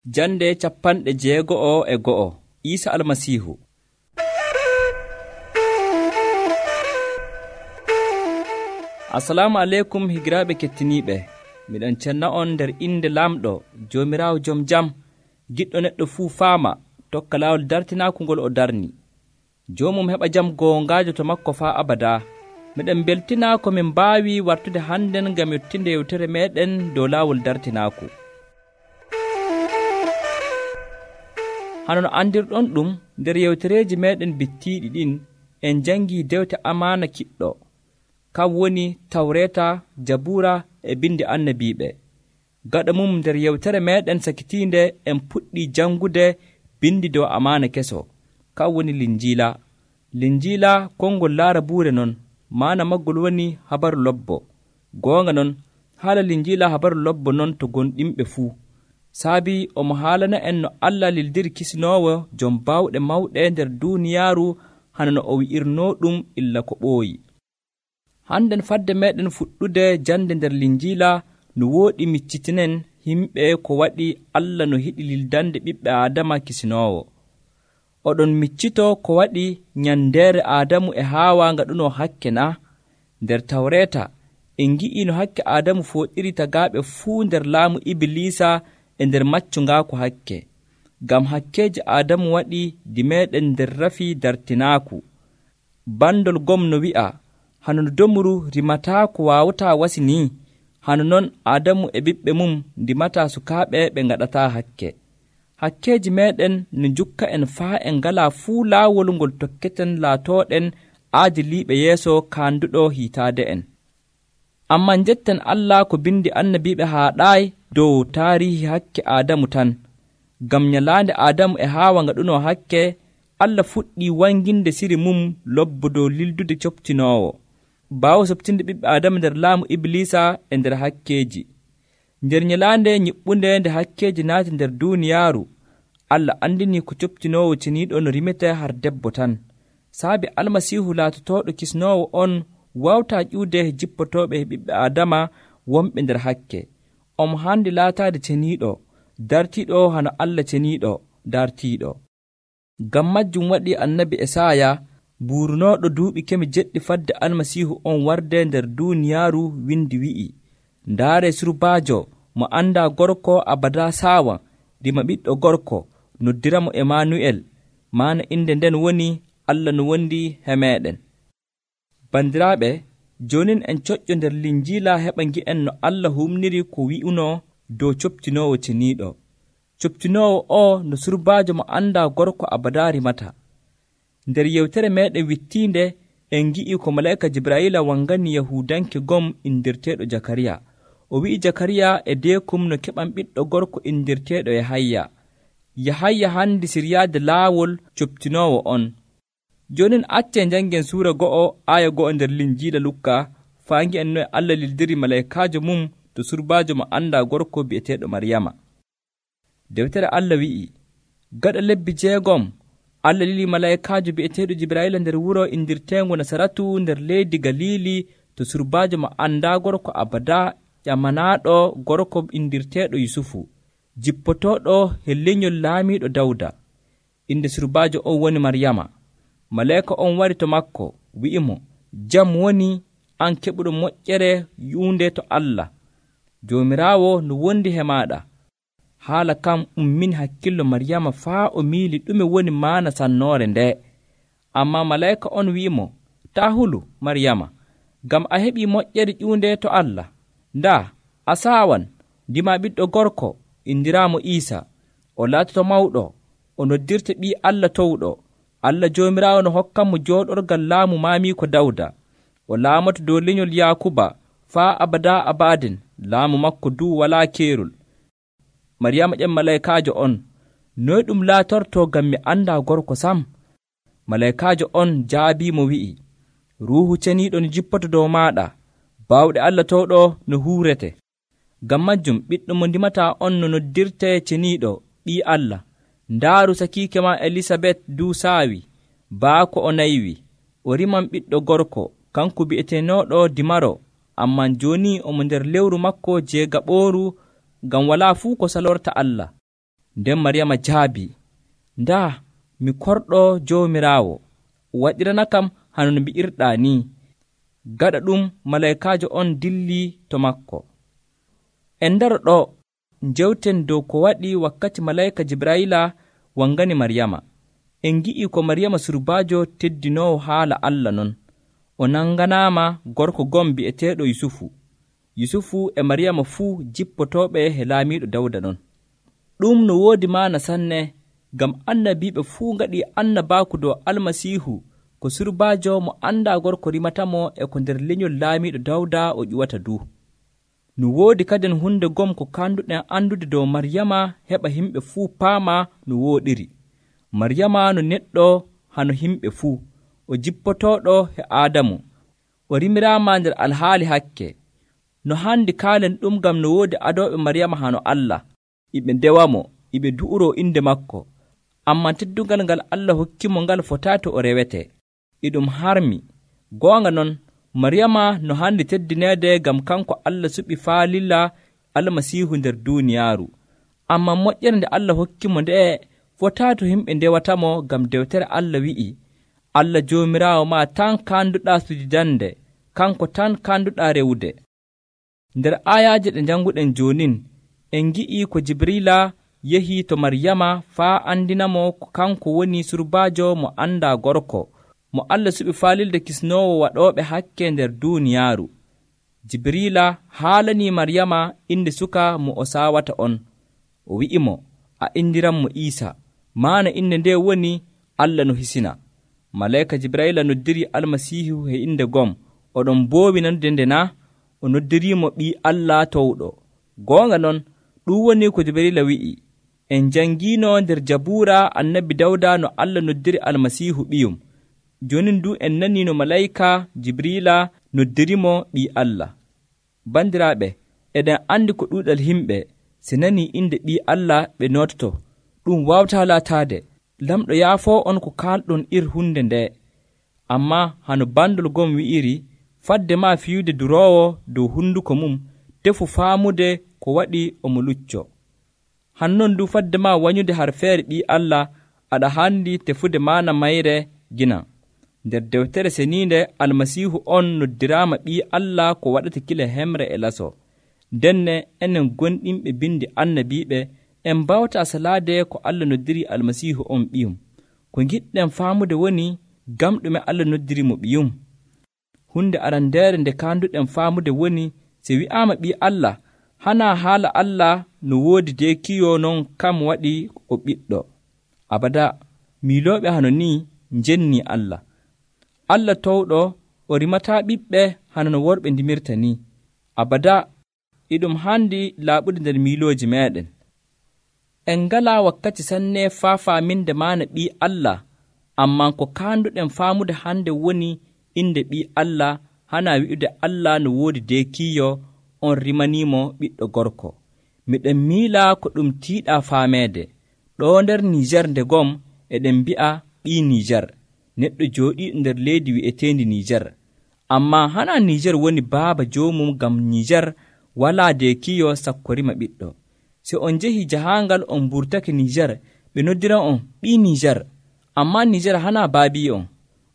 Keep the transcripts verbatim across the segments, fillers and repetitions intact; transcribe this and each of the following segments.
Jande capanɗe jeego'o e go'o. Iisa Almasiihu. Assalamu aleykum higiraaɓe kettiniiɓe. Miɗon cenna on nder inde Laamɗo Joomiraawo Jom Jam, giɗɗo neɗɗo fuu faama tokka laawol dartinaaku ngol o darni. Joomum heɓa jam goongaajo to makko faa abadaa. Miɗen beltinaa ko min mbaawi wartude hannden ngam yottinde yewtere meeɗen dow laawol dartinaaku. Hano no andirɗon ɗum, nder yewtereeji meeɗen bittiiɗi ɗin en jangii dewte amaana kiɗɗo, kam woni Tawreeta, Jabuura e bindi annabiiɓe. Gaɗa mum nder yewtere meeɗen sakitiinde en puɗɗii jangude bindi dow amaana keso, kam woni Linjiila. Linjiila konngol Laarabuure non, maana maggol woni habaru lobbo. Goonga non, haala Linjiila habaru lobbo non to gonɗinɓe fuu. Saabi omo haalana en no Allah lildiri kisinoowo jom baawɗe mawɗe nder duuniyaaru hana no o wi'irnoo ɗum illa ko ɓooyi. Hannden fadde meeɗen fuɗɗude jande nder Linjiila no wooɗi miccitinen himɓe ko waɗi Allah no hiɗi lildande ɓiɓɓe Aadama kisinoowo. Oɗon miccito ko waɗi nyandeere Aadamu e Haawa ngaɗunoo hakke na? Nder Tawreeta en ngi'ii no hakke Aadamu fooɗiri tagaaɓe fuu nder laamu Ibilisa e nder maccu ngaaku hakke. Ngam hakkeeji Aadamu waɗi di meeɗen nder rafi dartinaaku. Bandol gom no wi'a, hano no domru rimataa ko waawataa wasi ni, hano non Aadamu e ɓiɓɓe mum ndimataa sukaaɓe ɓe ngaɗataa hakke. Hakkeeji meeɗen no njukka en faa en ngalaa fuu laawol ngol tokketen laatooɗen aadiliiɓe yeeso kaanduɗo hiitaade en. Ammaa njetten Allah ko bindi annabiiɓe haaɗaayi dow taarihi hakke Aadamu tan. Ngam nyalaande Aadamu e Haawa ngaɗunoo hakke, Allah fuɗɗii wanginde siri mum lobbo dow lildude coptinoowo, baawo soɓtinde ɓiɓɓe Aadama nder laamu Ibilisa e nder hakkeeji. Nder nyalaande nyiɓɓunde nde hakkeeji naati nder duuniyaaru, Allah andinii ko coptinoowo ceniiɗo no rimetee har debbo tan. Saabi Almasiihu laatotooɗo kisnoowo on wawtaa ƴiwde jippotooɓe ɓiɓɓe Aadama wonɓe nder hakke. Omo haandi laataade ceniiɗo, dartiiɗo hano Allah ceniiɗo dartiiɗo. Ngam majjum waɗi annabi Esaaya buurnooɗo duuɓi kemi jeɗɗi fadde Almasiihu on warde nder duuniyaaru windi wi'i, ndaare surbaajo mo anndaa gorko abadaa saawa, dima ɓiɗɗo gorko, noddiramo Emanu'el, maana inde nden woni Allah no wondi he meeɗen. Bandiraaɓe, joonin en coƴƴo nder Linjiila heɓa ngi'en no Allah humniri ko wi'unoo dow coptinoowo ceniiɗo. Coptinoowo o no surbaajo mo anndaa gorko abadaa rimata. Nder yewtere meeɗen wittiinde en ngi'i ko malaa'ika Jibraayila wangani Yahuudanke gom indirteeɗo Jakariya. O wi'i Jakariya e deekum no keɓan ɓiɗɗo gorko indirteeɗo Yahaya. Yahaya handi siryaade laawol coptinoowo on. Joonin accee njangen suura go'o aaya go'o nder Linjiila Lukka faa ngi'en noye Allah lildiri malaa'ikaajo mum to surbaajo mo anndaa gorko bi'eteeɗo Maryama. Dewtere Allah wi'i, gaɗa lebbi jeegom Allah lili malaa'ikaajo bi'eteeɗo Jibraayila nder wuro indirteengo Nasaratu nder leydi Galiili to surbaajo mo anndaa gorko abadaa ƴamanaaɗo gorko indirteeɗo Yusufu, jippotooɗo he lenyol laamiiɗo Dawda. Inde surbaajo on woni Maryama. Malaa'ika on wari to makko, wi'imo, jam woni an keɓuɗo moƴƴere yuunde to Allah. Joomiraawo no wondi he maaɗa. Haala kam ummini hakkillo Maryama faa o miili ɗume woni maana sannoore nde. Ammaa malaa'ika on wi'imo, taa hulu Maryama, ngam a heɓii moƴƴere ƴuunde to Allah. Ndaa, a saawan, ndima ɓiɗɗo gorko, indiraamo Iisa. O laatoto mawɗo, o noddirte ɓii Allah towɗo. Allah Joomiraawo no hokkanmo jooɗorgal laamu maamiiko Dawda. O laamoto dow lenyol Yaakuba faa abadaa abadin, laamu makko duu walaa keerol. Maryama ƴem malaa'ikaajo on, noy ɗum laatortoo ngam mi anndaa gorko sam? Malaa'ikaajo on jaabiimo wi'i, ruuhu ceniiɗo no jippoto dow maaɗa, baawɗe Allah towɗo no huurete. Ngam majjum ɓiɗɗo mo ndimataa on no noddirtee ceniiɗo ɓii Allah. Ndaaru sakiike ma Elisabet duu saawi, baako o naywi, o riman ɓiɗɗo gorko, kanko bi'eteenooɗo Dimaro, amman jooni omo nder lewru makko jeegaɓooru, ngam walaa fuu ko salorta Allah. nden Maryama jaabi, ndaa mi korɗo Joomiraawo, waɗirana kam hano no mbi'irɗaa ni. Gaɗa ɗum malaykaajo on dilli to makko. En ndaro ɗo njewten dow ko waɗi wakkati malayka Jibrayila wangani Maryama. En gi'i ko Maryama surbaajo teddinoowo haala Allah non. O nanganaama gorko gom bi'eteeɗo Yusufu. Yusufu e Maryama fuu jippotooɓe he laamiiɗo Dawda non. Ɗum no woodi maana sanne, ngam annabiiɓe fuu ngaɗi annabaaku dow Almasiihu ko surbaajo mo anndaa gorko rimatamo e ko nder lenyol laamiiɗo Dawda o ƴuwata du. No woodi kaden hunde gom ko kanduɗen andude dow Maryama heɓa himɓe fuu paama no wooɗiri. Maryama no neɗɗo hano himɓe fuu, o jippotooɗo he Aadamu, o rimiraama nder alhaali hakke. No handi kaalen ɗum ngam no woodi adooɓe Maryama hano Allah, iɓe ndewamo, iɓe du'uro inde makko. Amman teddungal ngal Allah hokkimo ngal fotato o rewete. Iɗum harmi. Goonga non, Maryama no handi teddineede ngam kanko Allah suɓi faalila Almasiihu nder duuniyaaru. Amman moƴƴere nde Allah hokkimo nde'e fotato himɓe ndewatamo, ngam dewtere Allah wi'i, Allah Joomiraawo ma tan kanduɗaa sujudande, kanko tan kanduɗaa rewude. Nder ayaaje ɗe janguɗen joonin, en gi'i ko Jibrila yehi to Maryama faa andinamo ko kanko woni surbaajo mo anda gorko, mo Allah suɓi faalilde kisnoowo waɗooɓe hakke nder duuniyaaru. Jibrila haalani Maryama inde suka mo o saawata on. O wi'imo, a indiranmo Iisa, maana inde nde woni Allah no hisina. Malayka Jibrayila noddiri Almasiihu he inde gom, oɗon boowi nanude nde na? O noddirimo ɓii Allah towɗo. Goonga non, ɗum woni ko Jibrayila wi'i. En jangiino nder Jabuura annabi Dawda no Allah noddiri Almasiihu ɓiyum. Jonin du en nani no malayka Jibrila noddirimo ɓii Allah. Bandiraaɓe, eɗen andi ko ɗuuɗal himɓe se nani inde ɓii Allah ɓe nototo. Ɗum wawta laataade. Lamɗo yaafo on ko kalɗon ir hunde nde. Amma hano bandol gom wi'iri, fadde ma fiyude duroowo dow hunduko mum, tefu faamude ko waɗi omo lucco. Hannon du fadde ma wanyude har feere ɓii Allah, aɗa handi tefude maana mayre gina. Nder dewtere seniinde Almasiihu on noddiraama ɓii Allah ko waɗata kila hemre e laso. Denne enen gonɗinɓe bindi annabiiɓe en mbawta salaade ko Allah noddiri Almasiihu on ɓiyum. Ko giɗɗen faamude woni gam ɗume Allah noddirimo ɓiyum. Hunde arandeere nde kanduɗen faamude woni, se wi'aama ɓii Allah, hana haala Allah no woodi dekiyo non kam waɗi o ɓiɗɗo. Abada, miilooɓe hano ni njenni Allah. Allah towɗo o rimata ɓiɓɓe hano no worɓe ndimirta ni. Abada, iɗum handi laaɓude nder miilooji meɗen. En ngala wakkati sanne faa faaminde maana ɓii Allah, amman ko kanduɗen faamude hande woni inde ɓii Allah hana wi'ude Allah no woodi dekiyo on rimanimo ɓiɗɗo gorko. Miɗen miila ko ɗum tiiɗa faameede. Ɗo nder Nijar nde gom eɗen mbi'a ɓii Nijar, neɗɗo jooɗiiɗo nder leydi wi'eteendi Nijar. Amma hana Nijar woni baaba joomum, ngam Nijar walaa dekiyo sakko rima ɓiɗɗo. Se on njehi jahaangal on mburtake Nijar, ɓe noddiran on ɓii Nijar, amma Nijar hana baabi on.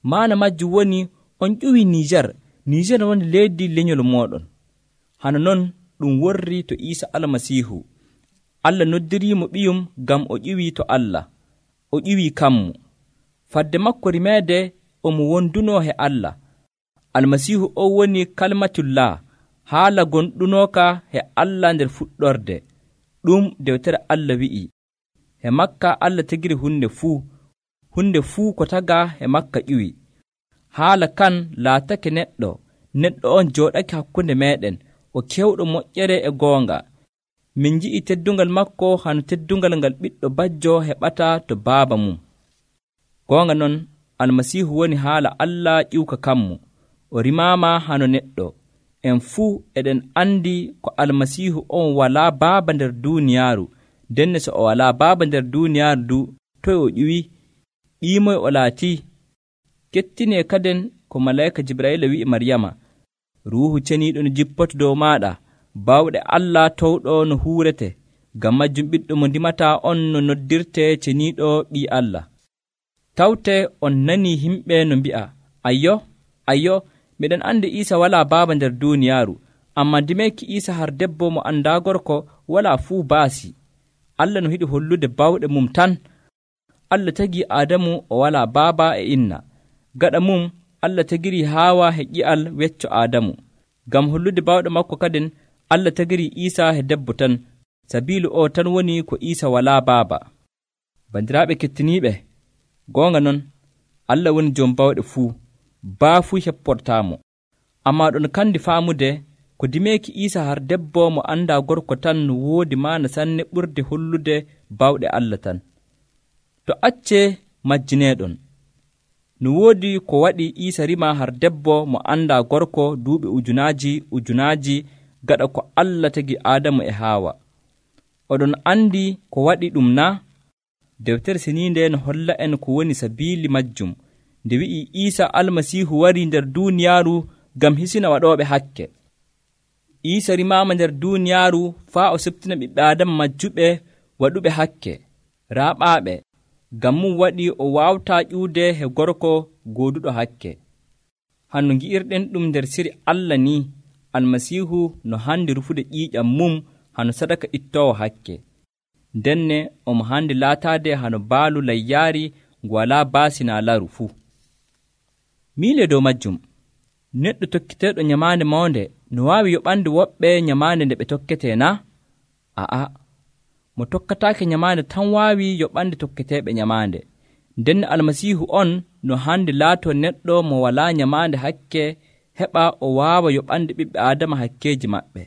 Maana majjum woni on ƴuwi Nijar. Nijar woni leydi lenyol moɗon. Hano non ɗum worri to Iisa Almasiihu. Allah noddirimo ɓiyum ngam o ƴiwi to Allah, o ƴiwi kammu. Fadde makko rimeede omo wonduno he Allah. Almasiihu o woni kalmatullah, haala gonɗunoka he Allah nder fuɗɗorde. Ɗum dewtere Allah wi'i, he makka Allah tegiri hunde fuu, hunde fuu ko taga he makka ƴiwi. Haala kan laatake neɗɗo, neɗɗo on jooɗake hakkunde meɗen, o kewɗo moƴƴere e goonga. Min ji'i teddungal makko hano teddungal ngal ɓiɗɗo bajjo heɓata to baaba mum. Goonga non, Almasiihu woni haala Allah ƴiwka kammu, o rimaama hano neɗɗo. En fuu eɗen andi ko Almasiihu on walaa baaba nder duuniyaaru. Denne so o walaa baaba nder duuniyaaru du, toy o ƴiwi, ɓiimoy o laati. Kettinee kaden ko malayka Jibrayila wi'i Maryama, ruuhu ceniiɗo no jippoto dow maaɗa, bawɗe Allah towɗo no huurete, ngam majjum ɓiɗɗo mo ndimata on no noddirte ceniiɗo ɓii Allah. Tawte on nani himɓe no mbi'a, ayyo ayyo miɗen andi Iisa walaa baaba nder duuniyaaru, amma dimeeki Iisa har debbo mo andaa gorko walaa fuu baasi. Allah no hiɗi hollude bawɗe mum tan. Allah tagii Aadamu o walaa baaba e inna. Gaɗa mum Allah tagiri Haawa he ƴi'al wecco Aadamu. Ngam hollude bawɗe makko kadin Allah tagiri Iisa he debbo tan, sabiilu o tan woni ko Iisa walaa baaba. Bandiraaɓe kettiniiɓe, goonga non Allah woni jom bawɗe fuu, baa fuu hepportaamo. Ammaa ɗon kandi faamude ko dimeeki Iisa har debbo mo andaa gorko tan no woodi maana sanne ɓurde hollude bawɗe Allah tan. To accee majjineeɗon, no woodi ko waɗi Iisa rima har debbo mo andaa gorko duuɓi ujunaaji ujunaaji gaɗa ko Allah tagi Aadamu e Haawa. Oɗon andi ko waɗi ɗum na? Dewtere Seniinde no holla en ko woni sabiili majjum, nde wi'i Iisa Almasiihu warii nder duuniyaaru ngam hisina waɗooɓe hakke. Iisa rimaama nder duuniyaaru faa o septina ɓiɓɓe Aadama majjuɓe waɗuɓe hakke, raaɓaaɓe, ngam mum waɗi o waawtaa ƴuude he gorko gooduɗo hakke. Hanno ngi'irɗen ɗum nder siri Allah ni, Almasiihu no handi rufude ƴiiƴam mum hano sadaka ittoowo hakke. Denne omo handi laataade hano baalu layyaari ngu walaa baasi naa laru fuu. Miile dow majjum, neɗɗo tokkiteeɗo nyamaande mawnde no waawi yoɓande woɓɓe nyamaande nde ɓe tokketee na? A'a, mo tokkataake nyamaande tan waawi yoɓande tokketeeɓe nyamaande. Nden Almasiihu on no handi laato neɗɗo mo walaa nyamaande hakke heɓa o waawa yoɓande ɓiɓɓe Aadama hakkeeji maɓɓe.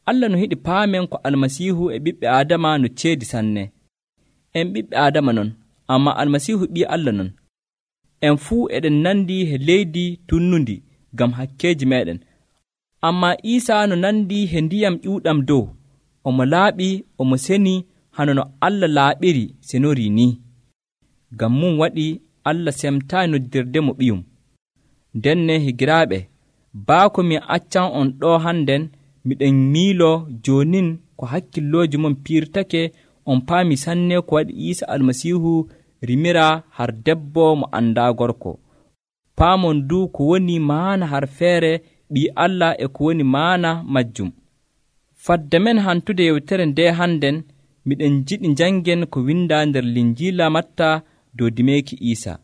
Allah no hiɗi paamen ko Almasiihu e ɓiɓɓe Aadama no ceedi sanne. En ɓiɓɓe Aadama non, amma Almasiihu ɓii Allah non. En fuu eɗen nandi he leydi tunnundi ngam hakkeeji meɗen. Amma Iisa no nandi he ndiyam ƴuuɗam dow, omo laaɓi omo seni hano no Allah laaɓiri senorii ni. Ngam mum waɗi Allah semtaay noddirde mo ɓiyum. Denne higiraaɓe, baako mi accan on ɗo hannden, miɗen miilo joonin ko hakkillooji mon piirtake on paami sanne ko waɗi Iisa Almasiihu rimira har debbo mo andaa gorko. Paamon du ko woni maana har feere ɓii Allah e ko woni maana majjum. Fadde men hantude yewtere nde hannden, miɗen jiɗi jangen ko windaa nder Linjiila Matta dow dimeeki Iisa.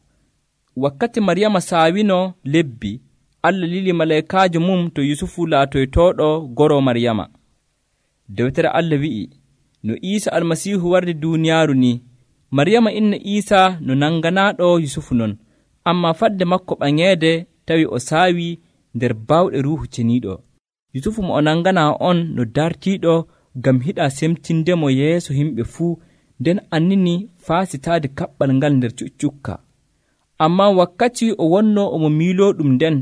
Wakkati Maryama saawino lebbi, Allah lili malaykaajo mum to Yusufu laatoytooɗo goro Maryama. Dewtere Allah wi'i, no Iisa Almasiihu wardi duuniyaaru ni, Maryama inna Iisa no nanganaaɗo Yusufu non, amma fadde makko ɓaŋeede tawi o saawi nder bawɗe Ruuhu Ceniiɗo. Yusufu mo o nanganaa on no dartiiɗo ngam hiɗa semtindemo yeeso himɓe fuu, nden annini faasitaade kaɓɓal ngal nder cuccukka. Amma wakkati o wonno omo miiloo ɗum nden,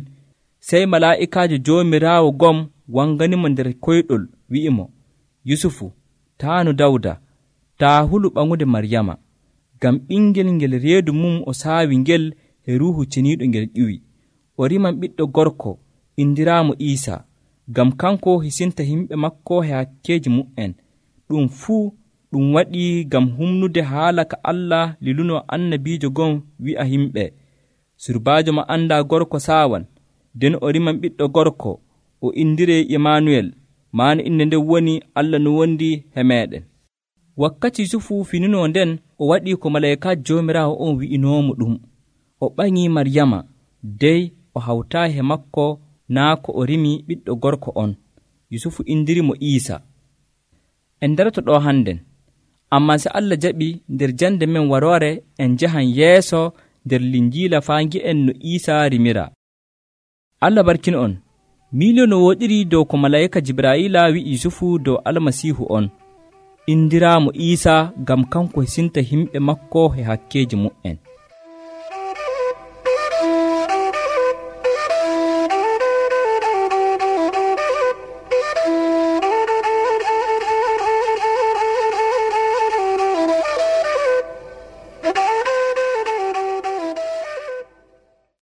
sey malaa'ikaajo Joomiraawo gom wanganimo nder koyɗol wi'imo, Yusufu, taanu Dawda, taa hulu ɓaŋude Maryama, ngam ɓingel ngel reedu mum o saawi ngel e Ruuhu Ceniiɗo ngel ƴiwi. O riman ɓiɗɗo gorko, indiraamo Iisa, ngam kanko hisinta himɓe makko he hakkeeji mu'en. Ɗum fuu ɗum waɗi ngam humnude haala ka Allah liluno annabiijo gon wi'a himɓe, surbaajo mo andaa gorko saawan, nden o riman ɓiɗɗo gorko, o indiree Imanuel, maana inde nden woni Allah no wondi he meɗen. Wakkati Yusufu fininoo nden, o waɗi ko malaykaajo Joomiraawo on wi'inoomo ɗum. O ɓaŋii Maryama, dey o hawtaayi he makko naa ko o rimi ɓiɗɗo gorko on. Yusufu indirimo Iisa. En darato ɗo hannden, amma se Allah jaɓi nder jande men waroore en jahan yeeso nder Linjiila faa ngi'en no Iisa rimira. Allah barkino on. Miilio no woɗiri dow ko malayika Jibraayila wi'i Yusufu dow Almasiihu on, indiraamo Iisa ngam kanko hisinta himɓe makko he hakkeeji mu'en.